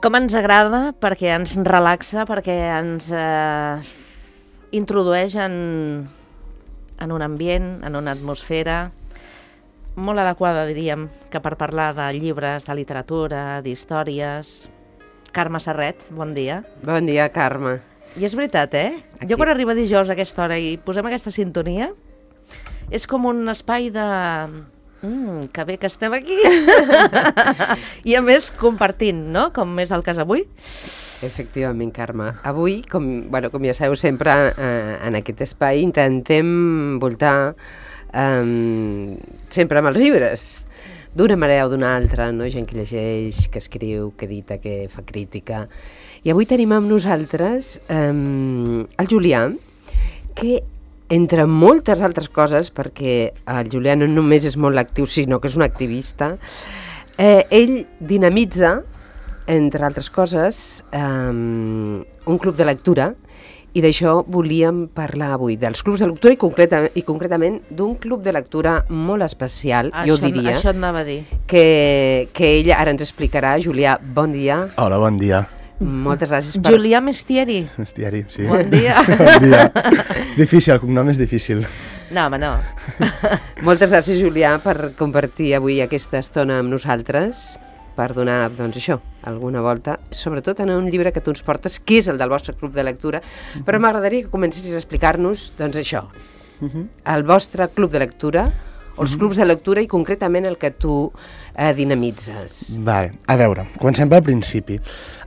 Com ens agrada, perquè ens relaxa, perquè ens introdueix en un ambient, en una atmosfera molt adequada, diríem, que per parlar de llibres, de literatura, d'històries. Carme Serret, bon dia. Bon dia, Carme. I és veritat, Aquí. Jo quan arriba dijous a aquesta hora i posem aquesta sintonia, és com un espai de... que bé que estem aquí. I a més compartint, no? Com és el cas avui. Efectivament, Carme. Avui, com ja sabeu sempre, en aquest espai intentem voltar sempre amb els llibres, d'una manera o d'una altra, no? Gent que llegeix, que escriu, que edita, que fa crítica. I avui tenim amb nosaltres el Julià, que entre moltes altres coses, perquè el Julià no només és molt actiu, sinó que és un activista, ell dinamitza, entre altres coses, un club de lectura, i d'això volíem parlar avui, dels clubs de lectura i concretament d'un club de lectura molt especial, jo diria. Això et anava a dir. Que ell ara ens explicarà. Julià, bon dia. Hola, bon dia. Moltes gràcies per... Julià Mestieri. Mestieri, sí. Bon dia. Bon dia. És difícil, el cognom és difícil. No, home, no. Moltes gràcies, Julià, per compartir avui aquesta estona amb nosaltres, per donar, doncs això, alguna volta, sobretot en un llibre que tu ens portes, que és el del vostre club de lectura, però m'agradaria que comencessis a explicar-nos, doncs això, el vostre club de lectura, o els clubs de lectura i concretament el que tu dinamitzes. Vale, a veure, comencem pel principi.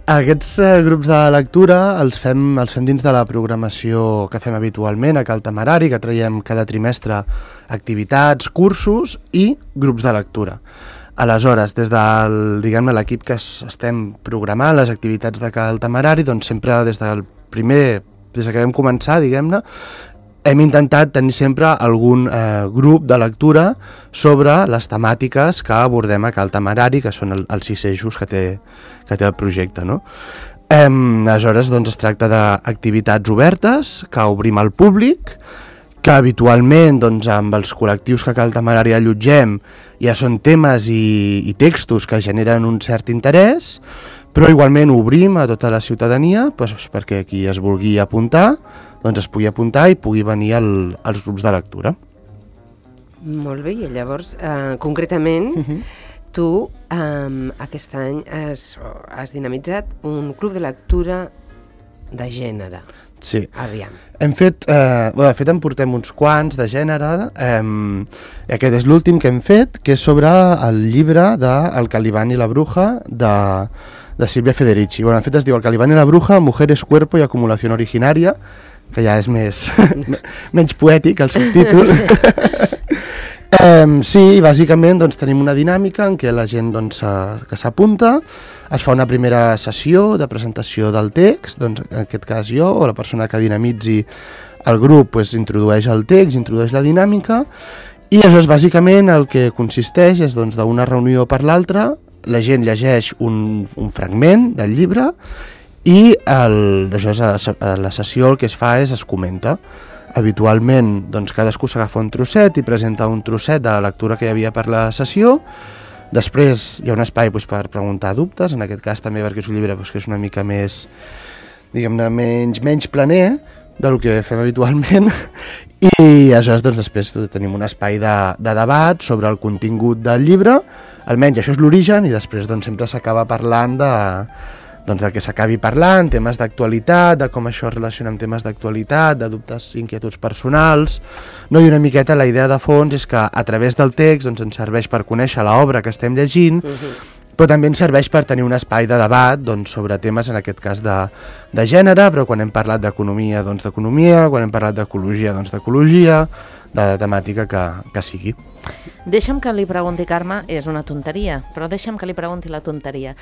Aquests grups de lectura els fem dins de la programació que fem habitualment a Cal Temerari, que traiem cada trimestre activitats, cursos i grups de lectura. Aleshores, des del, diguem-ne, l'equip que estem programant les activitats de Cal Temerari, doncs sempre des que vam començar, diguem-ne, hem intentat tenir sempre algun grup de lectura sobre les temàtiques que abordem a Cal Temerari, que són els 6 eixos que té el projecte, no? Aleshores, doncs, es tracta d'activitats obertes que obrim al públic, que habitualment, doncs, amb els col·lectius que a Cal Temerari allotgem ja són temes i textos que generen un cert interès, però igualment obrim a tota la ciutadania perquè qui es vulgui apuntar doncs es pugui apuntar i pugui venir als grups de lectura. Molt bé, i llavors, concretament, tu aquest any has dinamitzat un club de lectura de gènere. Sí. Aviam. Hem fet, de fet en portem uns quants de gènere, i aquest és l'últim que hem fet, que és sobre el llibre de El Calibán y la Bruja, de Silvia Federici. Bueno, en fet es diu El Calibán y la Bruja, Mujeres, Cuerpo y Acumulación Originaria, que ja és menys poètic el subtítol. Sí, bàsicament doncs, tenim una dinàmica en què la gent doncs, que s'apunta, es fa una primera sessió de presentació del text, doncs, en aquest cas jo o la persona que dinamitzi el grup doncs, introdueix el text, introdueix la dinàmica, i això és bàsicament el que consisteix és doncs, d'una reunió per l'altra, la gent llegeix un fragment del llibre i la sessió el que es fa és es comenta. Habitualment doncs, cadascú s'agafa un trosset i presenta un trosset de la lectura que hi havia per la sessió. Després hi ha un espai doncs, per preguntar dubtes, en aquest cas també perquè és un llibre doncs, que és una mica més, diguem-ne, menys planer del que fem habitualment, i aleshores doncs, després tenim un espai de debat sobre el contingut del llibre, almenys això és l'origen, i després doncs, sempre s'acaba parlant del que s'acabi parlant, temes d'actualitat, de com això es relaciona amb temes d'actualitat, de dubtes i inquietuds personals, no? I una miqueta la idea de fons és que a través del text doncs, ens serveix per conèixer l'obra que estem llegint, però també ens serveix per tenir un espai de debat doncs, sobre temes, en aquest cas, de gènere, però quan hem parlat d'economia, doncs d'economia, quan hem parlat d'ecologia, doncs d'ecologia, de la temàtica que sigui. Deixa'm que li pregunti, Carme, és una tonteria, però deixa'm que li pregunti la tonteria.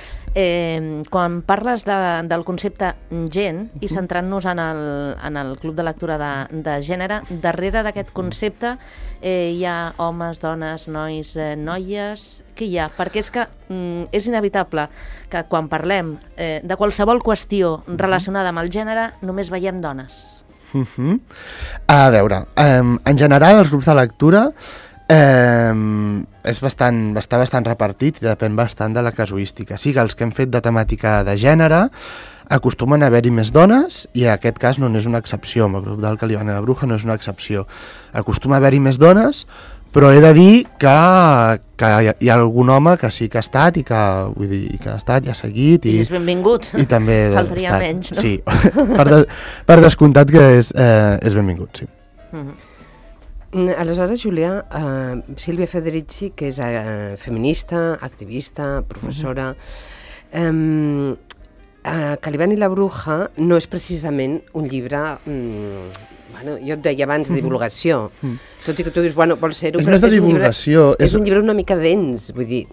Quan parles del concepte gent i centrant-nos en el club de lectura de gènere, darrere d'aquest concepte hi ha homes, dones, nois, noies... Què hi ha? Perquè és que és inevitable que quan parlem de qualsevol qüestió relacionada amb el gènere només veiem dones. A veure, en general els grups de lectura està bastant repartit i depèn bastant de la casuística. Sí que els que hem fet de temàtica de gènere acostumen a haver-hi més dones i en aquest cas no és una excepció, amb el grup del Caliban i la Bruja no és una excepció. Acostuma a haver-hi més dones, però he de dir que hi ha algun home que sí que ha estat i que ha estat i ha seguit. I és benvingut. I també faltaria menys, no? Sí, per descomptat que és benvingut, sí. Aleshores, Julià, Sílvia Federici, que és feminista, activista, professora, Caliban i la Bruja no és precisament un llibre... Bueno, jo et deia abans, de divulgació, tot i que tu dius, bueno, vol ser-ho, però és un llibre una mica dens, vull dir.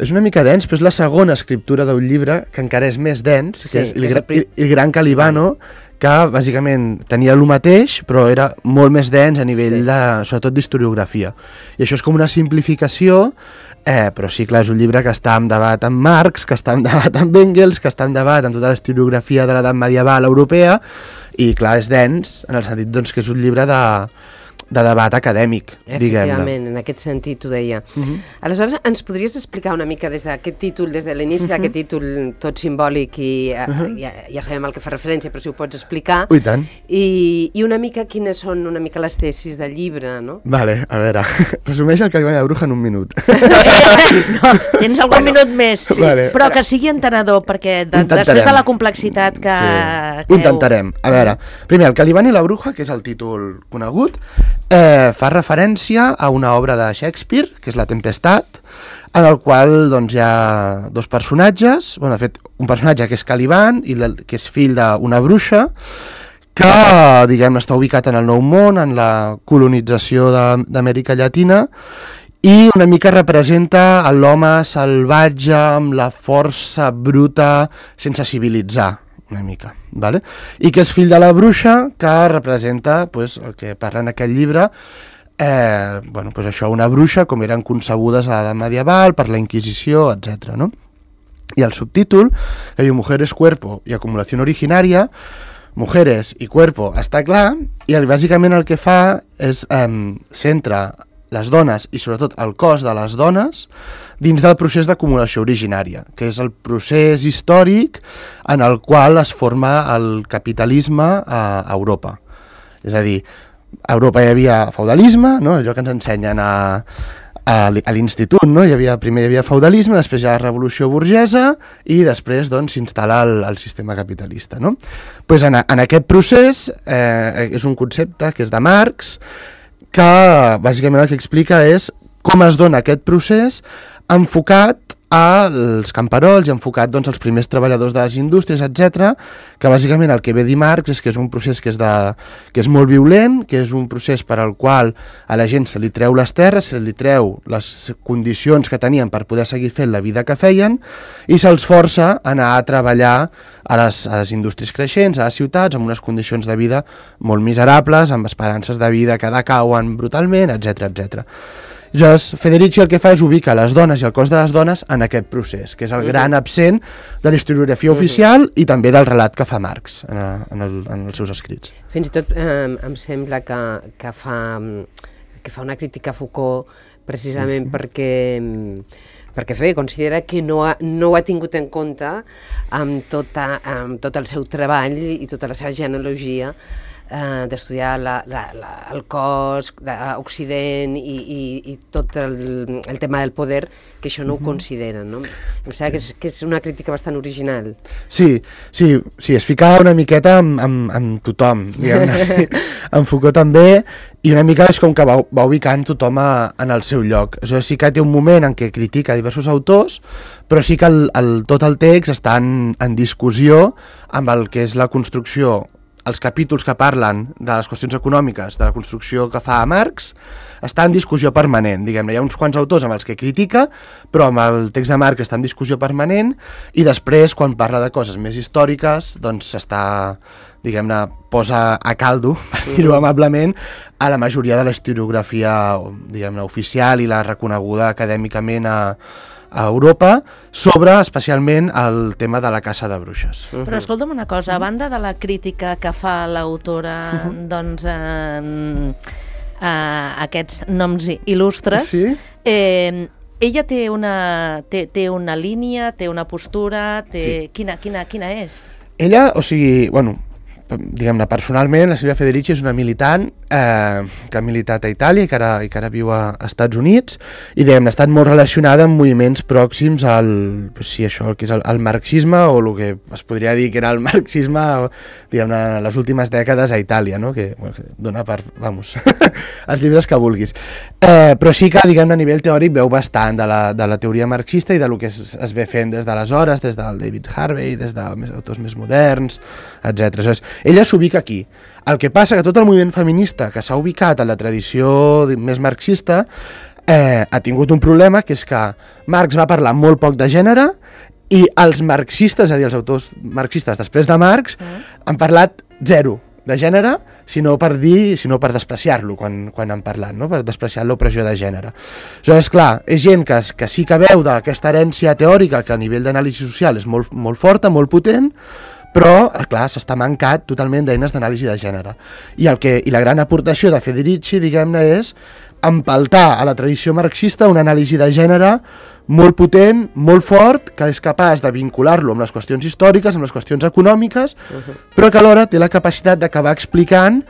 És una mica dens, però és la segona escriptura d'un llibre que encara és més dens, que és el Gran Calibano, que bàsicament tenia el mateix, però era molt més dens a nivell sobretot d'historiografia. I això és com una simplificació, però sí, clar, és un llibre que està en debat amb Marx, que està en debat amb Engels, que està en debat amb tota la historiografia de l'edat medieval europea, i clar, és dens en el sentit doncs, que és un llibre de debat acadèmic, diguem-ne. Efectivament, en aquest sentit ho deia. Aleshores, ens podries explicar una mica des d'aquest títol, des de l'inici d'aquest títol tot simbòlic i ja sabem al que fa referència, però si ho pots explicar. I tant. I una mica quines són una mica les tesis del llibre, no? Vale, a veure, resumeix el Caliban i la Bruja en un minut. No, tens algun minut més, sí. Vale. Però que sigui entenedor, perquè després de la complexitat que... Ho intentarem. A veure, primer, el Caliban i la Bruja, que és el títol conegut, fa referència a una obra de Shakespeare, que és La Tempestat, en el qual doncs, hi ha dos personatges, bueno, de fet, un personatge que és Caliban, que és fill d'una bruixa, que, diguem, està ubicat en el Nou Món, en la colonització d'Amèrica Llatina, i una mica representa l'home salvatge amb la força bruta sense civilitzar, una mica, vale? I que és fill de la bruixa, que representa pues, el que parla en aquest llibre, bueno, pues això, una bruixa com eren concebudes a l'edat medieval, per la Inquisició, etc. No? I el subtítol, que diu Mujeres, Cuerpo y Acumulación Originaria, Mujeres i Cuerpo està clar, i bàsicament el que fa és centra les dones i sobretot el cos de les dones dins del procés d'acumulació originària, que és el procés històric en el qual es forma el capitalisme a Europa. És a dir, a Europa hi havia feudalisme, no? Allò que ens ensenyen a l'institut, no? Primer hi havia feudalisme, després hi ha la revolució burgesa i després doncs, s'instal·la el sistema capitalista. No? Pues en aquest procés és un concepte que és de Marx, que bàsicament el que explica és com es dona aquest procés enfocat als camperols i enfocat doncs, als primers treballadors de les indústries, etc. Que bàsicament el que ve dir Marx és que és un procés que és molt violent, que és un procés per al qual a la gent se li treu les terres, se li treu les condicions que tenien per poder seguir fent la vida que feien i se'ls força a anar a treballar a les indústries creixents, a les ciutats, amb unes condicions de vida molt miserables, amb esperances de vida que decauen brutalment, etc etc. Llavors, Federici el que fa és ubicar les dones i el cos de les dones en aquest procés, que és el gran absent de la historiografia oficial i també del relat que fa Marx en els seus escrits. Fins i tot em sembla que fa una crítica a Foucault precisament perquè considera que no ho ha tingut en compte amb tot el seu treball i tota la seva genealogia d'estudiar el cos d'Occident i tot el tema del poder, que això no ho consideren, no? Em sembla que és una crítica bastant original. Sí, es ficava una miqueta amb tothom, diguem-ne, sí. En Foucault també, i una mica és com que va ubicant tothom en el seu lloc. Això sí que té un moment en què critica diversos autors, però sí que tot el text està en discussió amb el que és la construcció. Els capítols que parlen de les qüestions econòmiques, de la construcció que fa Marx, està en discussió permanent, diguem-ne. Hi ha uns quants autors amb els que critica, però amb el text de Marx està en discussió permanent, i després, quan parla de coses més històriques, doncs s'està, diguem-ne, posa a caldo, per dir-ho amablement, a la majoria de la historiografia, diguem-ne, oficial i la reconeguda acadèmicament a Europa, sobre especialment el tema de la caça de bruixes. Però escolta'm una cosa, a banda de la crítica que fa l'autora doncs, aquests noms il·lustres. Sí? Ella té una línia, té una postura, Sí. Quina és? Ella, o sigui, bueno, diguem-ne, personalment, la Silvia Federici és una militant que ha militat a Itàlia i que ara viu a Estats Units i, diguem-ne, ha estat molt relacionada amb moviments pròxims al que és el marxisme o el que es podria dir que era el marxisme, diguem-ne, les últimes dècades a Itàlia, no? Que dona per, vamos, els llibres que vulguis. Però sí que, diguem-ne, a nivell teòric veu bastant de la teoria marxista i del que es ve fent des d'aleshores, des del David Harvey, des d'autors més moderns, etc. Aleshores, ella s'ubica aquí. El que passa que tot el moviment feminista que s'ha ubicat en la tradició més marxista ha tingut un problema, que és que Marx va parlar molt poc de gènere i els marxistes, és a dir, els autors marxistes després de Marx, han parlat zero de gènere, sinó per despreciar-lo quan han parlat, no? Per despreciar l'opressió de gènere. Aleshores, clar, és gent que sí que veu d'aquesta herència teòrica que a nivell d'anàlisi social és molt, molt forta, molt potent, però, clar, s'està mancat totalment d'eines d'anàlisi de gènere. I la gran aportació de Federici, diguem-ne, és empaltar a la tradició marxista una anàlisi de gènere molt potent, molt fort, que és capaç de vincular-lo amb les qüestions històriques, amb les qüestions econòmiques, però que alhora té la capacitat d'acabar explicant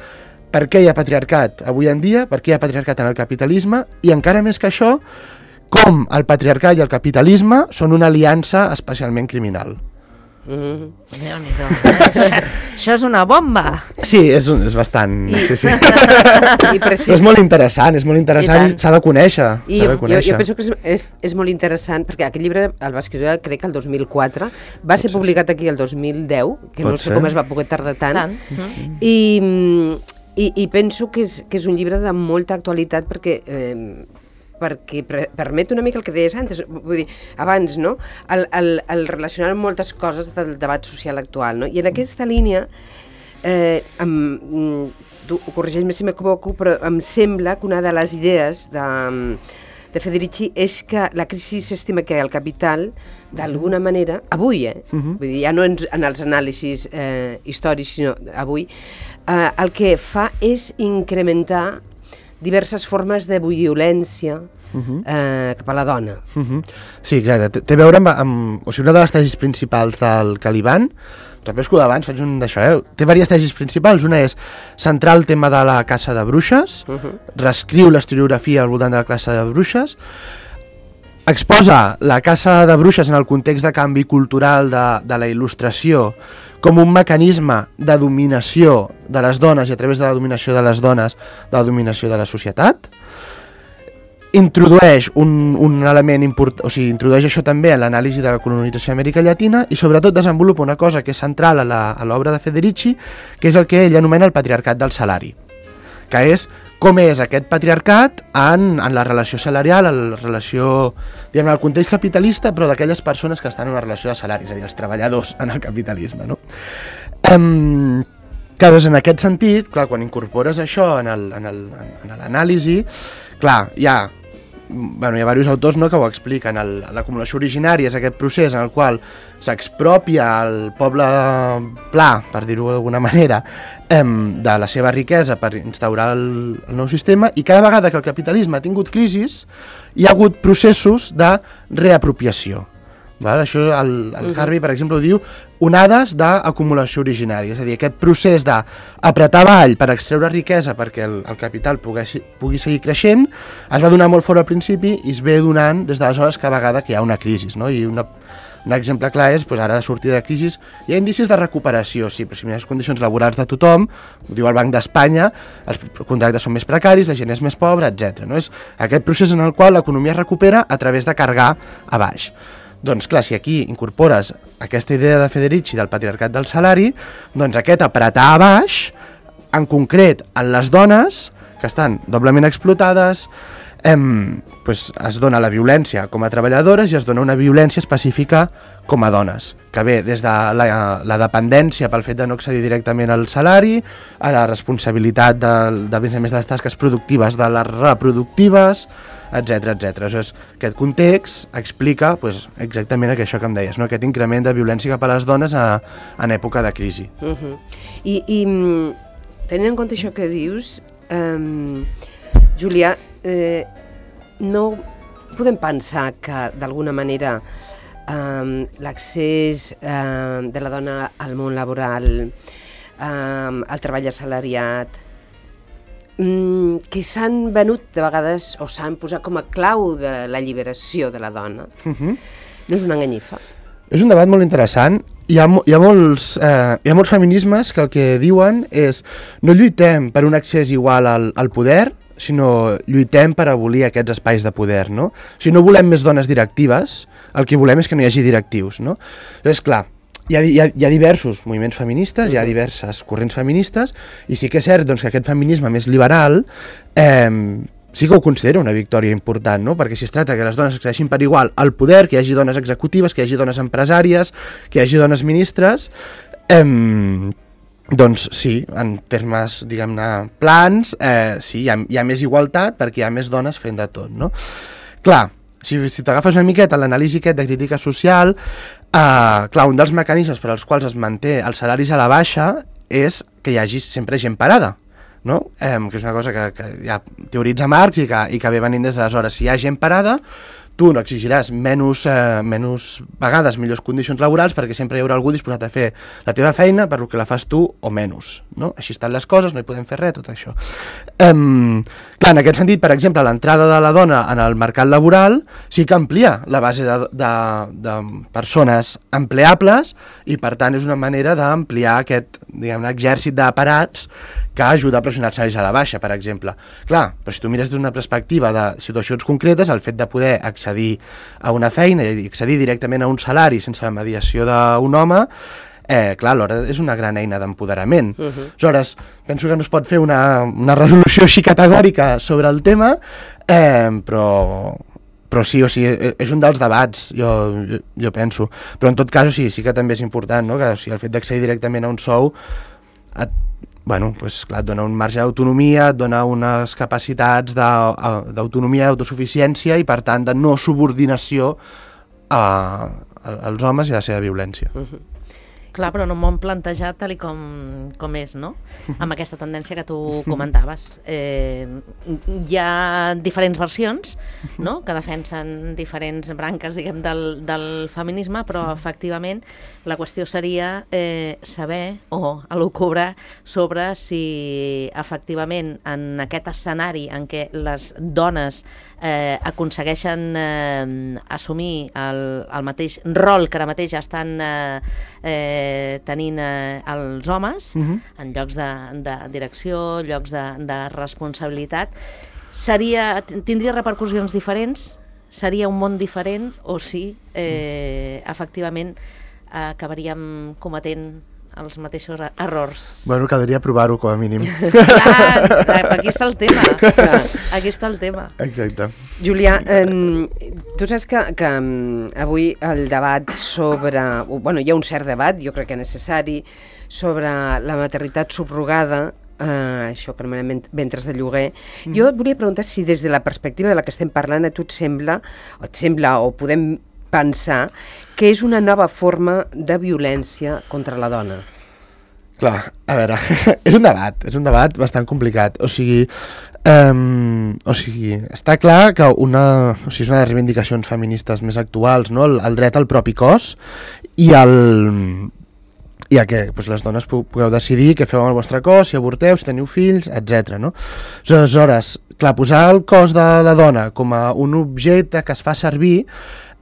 per què hi ha patriarcat avui en dia, per què hi ha patriarcat en el capitalisme, i encara més que això, com el patriarcat i el capitalisme són una aliança especialment criminal. Déu-n'hi-do. Això és una bomba. Sí, és bastant... Sí. I Però és molt interessant i s'ha de conèixer. Jo penso que és molt interessant, perquè aquest llibre el va escriure, crec que el 2004, va ser publicat aquí el 2010, que no sé com es va poder tardar tant. I penso que és un llibre de molta actualitat perquè permet una mica el que deies abans, no? El relacionar moltes coses del debat social actual, no? I en aquesta línia, corregeix-me si m'equivoco, però em sembla que una de les idees de Federici és que la crisi s'estima que el capital, d'alguna manera, avui, vull dir, ja no en els anàlisis històrics, sinó avui, el que fa és incrementar diverses formes de violència cap a la dona. Sí, exacte. Té a veure amb... O sigui, una de les tesis principals del Caliban, repesco d'abans, faig un d'això, té diverses tesis principals. Una és centrar el tema de la caça de bruixes, reescriu l'historiografia al voltant de la caça de bruixes, exposa la caça de bruixes en el context de canvi cultural de la il·lustració com un mecanisme de dominació de les dones i a través de la dominació de les dones, de la dominació de la societat. Introdueix un element important, o sigui, introdueix això també en l'anàlisi de la colonització d'Amèrica Llatina i sobretot desenvolupa una cosa que és central a l'obra de Federici, que és el que ell anomena el patriarcat del salari, que és com és aquest patriarcat en la relació salarial, en la relació, diguem, en el context capitalista, però d'aquelles persones que estan en una relació de salari, és a dir, els treballadors en el capitalisme, no? Que, doncs, en aquest sentit, clar, quan incorpores això en l'anàlisi, clar, hi ha diversos autors, no, que ho expliquen. L'acumulació originària és aquest procés en el qual s'expropia el poble pla, per dir-ho d'alguna manera, de la seva riquesa per instaurar el nou sistema, i cada vegada que el capitalisme ha tingut crisis hi ha hagut processos de reapropiació. Això el Harvey, per exemple, ho diu onades d'acumulació originària, és a dir, aquest procés d'apretar avall per extreure riquesa perquè el capital pugui seguir creixent es va donar molt fort al principi i es ve donant des d'aleshores cada vegada que hi ha una crisi, no? I un exemple clar és, ara de sortir de crisi, hi ha indicis de recuperació, sí, però si mires les condicions laborals de tothom, ho diu el Banc d'Espanya, els contractes són més precaris, la gent és més pobra, etc. No? És aquest procés en el qual l'economia es recupera a través de carregar a baix. Doncs clar, si aquí incorpores aquesta idea de Federici del patriarcat del salari, doncs aquest apretar a baix, en concret en les dones, que estan doblement explotades, es dona la violència com a treballadores i es dona una violència específica com a dones, que ve des de la dependència pel fet de no accedir directament al salari, a la responsabilitat de més de les tasques productives de les reproductives, etc. Aleshores, aquest context explica exactament això que em deies, no? Aquest increment de violència cap a les dones en època de crisi. I tenint en compte això que dius, Julià, no podem pensar que, d'alguna manera, l'accés de la dona al món laboral, al treball assalariat, que s'han venut de vegades o s'han posat com a clau de la lliberació de la dona, no és una enganyifa? És un debat molt interessant. Hi ha molts feminismes que el que diuen és no lluitem per un accés igual al poder, sinó lluitem per abolir aquests espais de poder, no? O sigui, no volem més dones directives, el que volem és que no hi hagi directius, no? Llavors, clar, hi ha diversos moviments feministes, hi ha diverses corrents feministes, i sí que és cert doncs, que aquest feminisme més liberal sí que ho considero una victòria important, no? Perquè si es tracta que les dones accedeixin per igual al poder, que hi hagi dones executives, que hi hagi dones empresàries, que hi hagi dones ministres, doncs sí, en termes, diguem-ne, plans, sí, hi ha més igualtat perquè hi ha més dones fent de tot, no? Clar, si t'agafes una miqueta l'anàlisi aquest de crítica social, clar, un dels mecanismes per als quals es manté els salaris a la baixa és que hi hagi sempre gent parada, no? Que és una cosa que ja teoritza Marx i que ve venint des d'aleshores. Si hi ha gent parada, tu no exigiràs menys vegades millors condicions laborals perquè sempre hi haurà algú disposat a fer la teva feina per lo que la fas tu o menys, no? Així estan les coses, no hi podem fer res, tot això. Clar, en aquest sentit, per exemple, l'entrada de la dona en el mercat laboral sí que amplia la base de persones empleables i, per tant, és una manera d'ampliar aquest, diguem-ne, exèrcit d'aparats que ajuda a pressionar els salaris a la baixa, per exemple. Clar, però si tu mires d'una perspectiva de situacions concretes, el fet de poder accedir a una feina i accedir directament a un salari sense la mediació d'un home, clar, alhora és una gran eina d'empoderament. Aleshores, penso que no es pot fer una resolució així categòrica sobre el tema, però sí, o sigui, és un dels debats, jo penso. Però en tot cas, o sigui, sí que també és important, no? Que o sigui, el fet d'accedir directament a un sou pues, clar, et dona un marge d'autonomia, et dona unes capacitats d'autonomia, d'autosuficiència i, per tant, de no subordinació als homes i a la seva violència. Clar, però no m'ho han plantejat tal com és, no? Amb aquesta tendència que tu comentaves. Hi ha diferents versions, no?, que defensen diferents branques, diguem, del feminisme, però efectivament la qüestió seria saber o elucubrar sobre si efectivament en aquest escenari en què les dones aconsegueixen assumir el mateix rol que ara mateix estan tenint els homes en llocs de direcció, llocs de responsabilitat, tindria repercussions diferents? Seria un món diferent o sí, efectivament, acabaríem cometent els mateixos errors? Bueno, caldria provar-ho com a mínim. Clar, aquí està el tema. Aquí està el tema. Exacte. Julià, tu saps que avui el debat sobre... Bueno, hi ha un cert debat, jo crec que necessari, sobre la maternitat subrogada, això que anomenem ventres de lloguer. Jo et volia preguntar si des de la perspectiva de la que estem parlant a tu et sembla o podem pensar que és una nova forma de violència contra la dona. Clar, a veure, és un debat bastant complicat. O sigui, està clar que és una de les reivindicacions feministes més actuals, no? El dret al propi cos i a que les dones pugueu decidir què feu amb el vostre cos, si avorteu, si teniu fills, etc. No? Aleshores, clar, posar el cos de la dona com a un objecte que es fa servir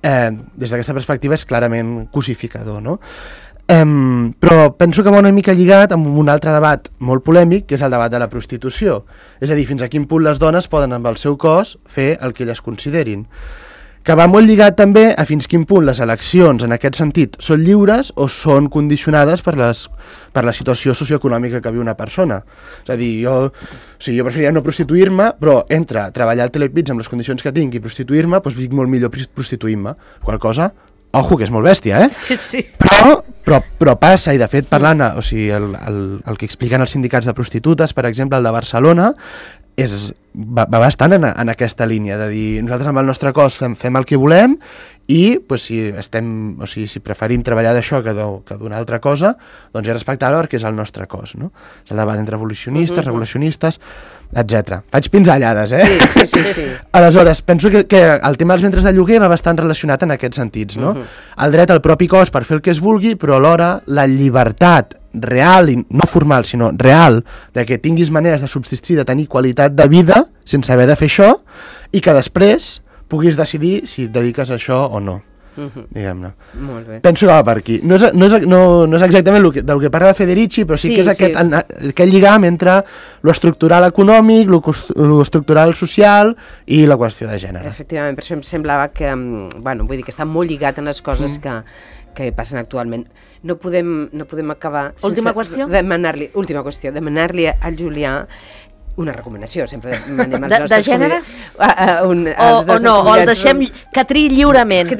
des d'aquesta perspectiva és clarament cosificador, no? Però penso que va una mica lligat amb un altre debat molt polèmic, que és el debat de la prostitució. És a dir, fins a quin punt les dones poden amb el seu cos fer el que elles considerin. Que va molt lligat també a fins quin punt les eleccions en aquest sentit són lliures o són condicionades per la situació socioeconòmica que viu una persona. És a dir, jo preferiria no prostituir-me, però entre treballar al Telepizza amb les condicions que tinc i prostituir-me, doncs vinc molt millor prostituint-me. Qual cosa, ojo, que és molt bèstia, Sí. Però passa, i de fet parlant, o sigui, el que expliquen els sindicats de prostitutes, per exemple, el de Barcelona, va bastant en aquesta línia, de dir, nosaltres amb el nostre cos fem el que volem i pues, si preferim treballar d'això que d'una altra cosa, doncs és respectable perquè és el nostre cos, no? És el debat entre evolucionistes, revolucionistes, etc. Faig pinzellades, Sí. Aleshores, penso que el tema dels ventres de lloguer va bastant relacionat en aquests sentits, no? El dret al propi cos per fer el que es vulgui, però alhora la llibertat real, i no formal, sinó real, de que tinguis maneres de subsistir, de tenir qualitat de vida sense haver de fer això, i que després puguis decidir si et dediques a això o no, diguem-ne. Molt bé. Penso que va per aquí. No és exactament del que parla Federici, però sí que és aquest lligam entre lo estructural econòmic, lo estructural social i la qüestió de gènere. Efectivament, per això em semblava que, vull dir que està molt lligat en les coses que passen actualment. No podem acabar Última qüestió, demanar-li al Julià una recomanació, sempre demanem als de gènere? O el deixem que triï lliurement.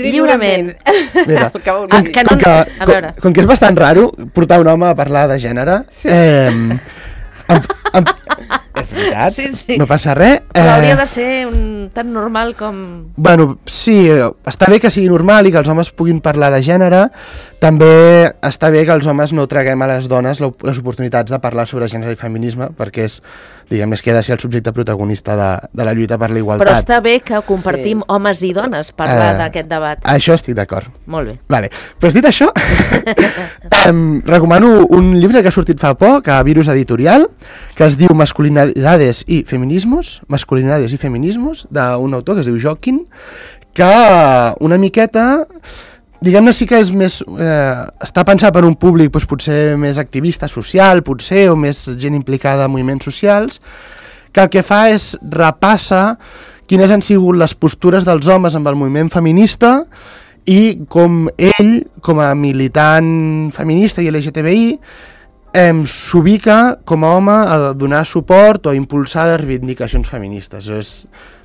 Mira, A veure. com que és bastant raro portar un home a parlar de gènere, és veritat, Sí. no passa res. Però hauria de ser tan normal com... Bueno, sí, està bé que sigui normal i que els homes puguin parlar de gènere. També està bé que els homes no traguem a les dones les oportunitats de parlar sobre gènere i feminisme, perquè és, diguem, que ha de ser el subjecte protagonista de la lluita per la igualtat. Però està bé que compartim homes i dones parlar d'aquest debat. Això estic d'acord. Molt bé. Vale. Pues dit això, recomano un llibre que ha sortit fa poc a Virus Editorial, que es diu Masculinidades i Feminismos, d'un autor que es diu Joaquín, que una miqueta, diguem-ne, sí que és més, està pensat per un públic doncs, potser més activista social, potser, o més gent implicada en moviments socials, que el que fa és repassa quines han sigut les postures dels homes amb el moviment feminista i com ell, com a militant feminista i LGTBI, s'ubica com a home a donar suport o a impulsar les reivindicacions feministes.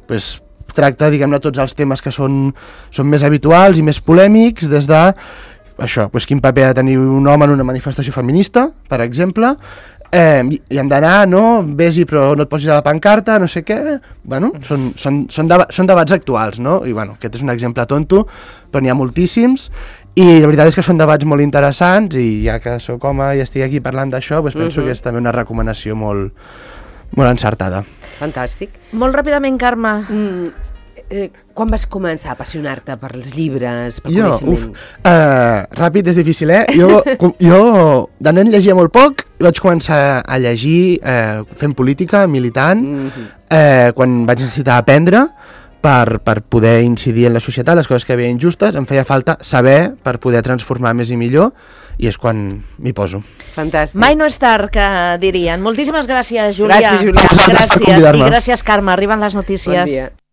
Pues, tracta, diguem-ne, tots els temes que són més habituals i més polèmics, des de això, pues, quin paper ha de tenir un home en una manifestació feminista, per exemple, i han d'anar, no? Vés-hi però no et posis a la pancarta, no sé què. Bueno, són debats actuals, no? I bueno, aquest és un exemple tonto, però n'hi ha moltíssims, i la veritat és que són debats molt interessants, i ja que sóc home i estic aquí parlant d'això, doncs penso que és també una recomanació molt encertada. Fantàstic. Molt ràpidament, Carme. Quan vas començar a apassionar-te per els llibres, per coneixement? Ràpid és difícil, Jo de nen llegia molt poc i vaig començar a llegir fent política, militant, quan vaig necessitar aprendre per poder incidir en la societat, les coses que veia injustes, em feia falta saber per poder transformar més i millor, i és quan m'hi poso. Fantàstic. Mai no és tard, que dirien. Moltíssimes gràcies, Julià. Gràcies, Julià. A vosaltres per convidar-me. I gràcies, Carme. Arriben les notícies. Bon dia.